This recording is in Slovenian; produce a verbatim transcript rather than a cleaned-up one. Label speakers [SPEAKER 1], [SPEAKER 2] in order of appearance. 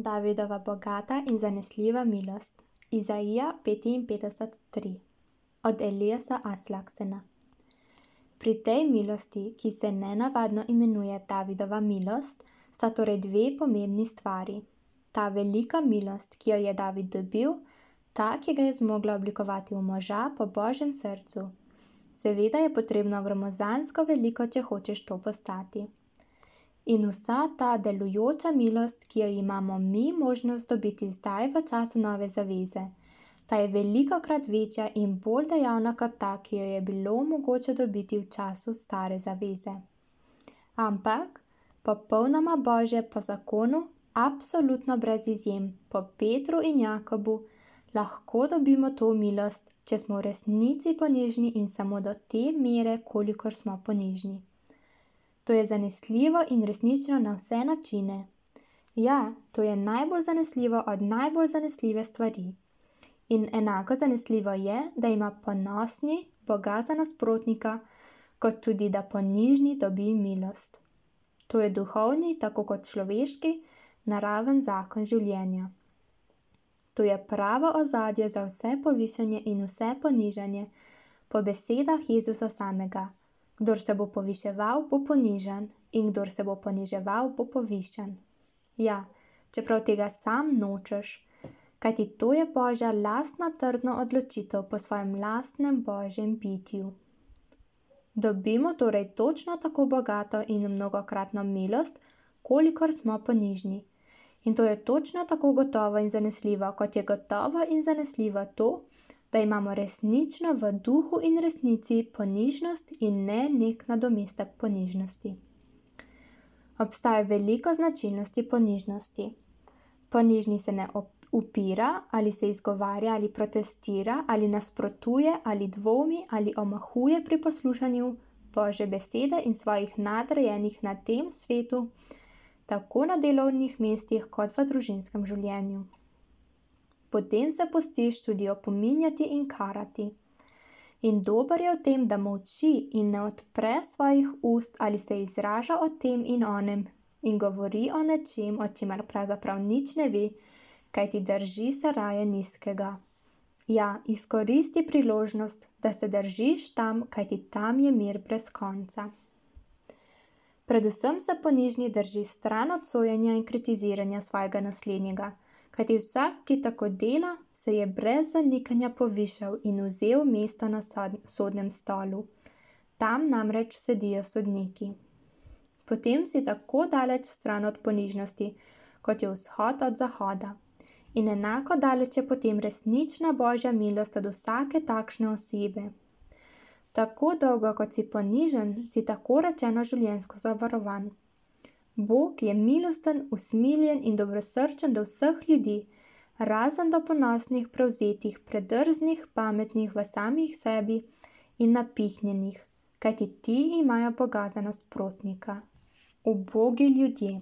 [SPEAKER 1] Davidova bogata in zanesljiva milost. Izaija petinpetdeset tri. Od Eliasa Aslaksena. Pri tej milosti, ki se nenavadno imenuje Davidova milost, sta torej dve pomembni stvari. Ta velika milost, ki jo je David dobil, ta, ki ga je zmogla oblikovati v moža po Božjem srcu. Seveda je potrebno gromozansko veliko, če hočeš to postati. In vsa ta delujoča milost, ki jo imamo mi možnost dobiti zdaj v času nove zaveze, ta je velikokrat večja in bolj dejavna kot ta, ki jo je bilo mogoče dobiti v času stare zaveze. Ampak, popolnoma Božje po zakonu, absolutno brez izjem, po Petru in Jakobu, lahko dobimo to milost, če smo v resnici ponižni in samo do te mere, kolikor smo ponižni. To je zanesljivo in resnično na vse načine. Ja, to je najbolj zanesljivo od najbolj zanesljive stvari. In enako zanesljivo je, da ima ponosni Boga za nasprotnika, kot tudi da ponižni dobi milost. To je duhovni, tako kot človeški, naraven zakon življenja. To je pravo ozadje za vse povišanje in vse ponižanje, po besedah Jezusa samega. Kdor se bo poviševal, bo ponižan, in kdor se bo poniževal, bo povišan. Ja, čeprav tega sam nočeš, kajti to je Božja lastna trdna odločitev po svojem lastnem Božjem bitju. Dobimo torej točno tako bogato in mnogokratno milost, kolikor smo ponižni. In to je točno tako gotovo in zanesljivo, kot je gotovo in zanesljivo to, da imamo resnično v duhu in resnici ponižnost in ne nek nadomestek ponižnosti. Obstaja veliko značilnosti ponižnosti. Ponižni se ne upira, ali se izgovarja, ali protestira, ali nasprotuje, ali dvomi, ali omahuje pri poslušanju Božje besede in svojih nadrejenih na tem svetu, tako na delovnih mestih kot v družinskem življenju. Potem se pustiš tudi opominjati in karati. In dober je v tem, da molči in ne odpre svojih ust ali se izraža o tem in onem in govori o nečem, o čemer pravzaprav nič ne ve, kajti drži se raje nizkega. Ja, izkoristi priložnost, da se držiš tam, kajti tam je mir brez konca. Predvsem se ponižni drži stran od sojenja in kritiziranja svojega naslednjega, kajti vsak, ki tako dela, se je brez zanikanja povišal in vzel mesto na sodnem stolu. Tam namreč sedijo sodniki. Potem si tako daleč stran od ponižnosti, kot je vzhod od zahoda. In enako daleč je potem resnična Božja milost od vsake takšne osebe. Tako dolgo, kot si ponižen, si tako rečeno življenjsko zavarovan. Bog je milosten, usmiljen in dobrosrčen do vseh ljudi, razen do ponosnih, prevzetih, predrznih, pametnih v samih sebi in napihnjenih, kajti ti imajo Boga za nasprotnika. Ubogi ljudje.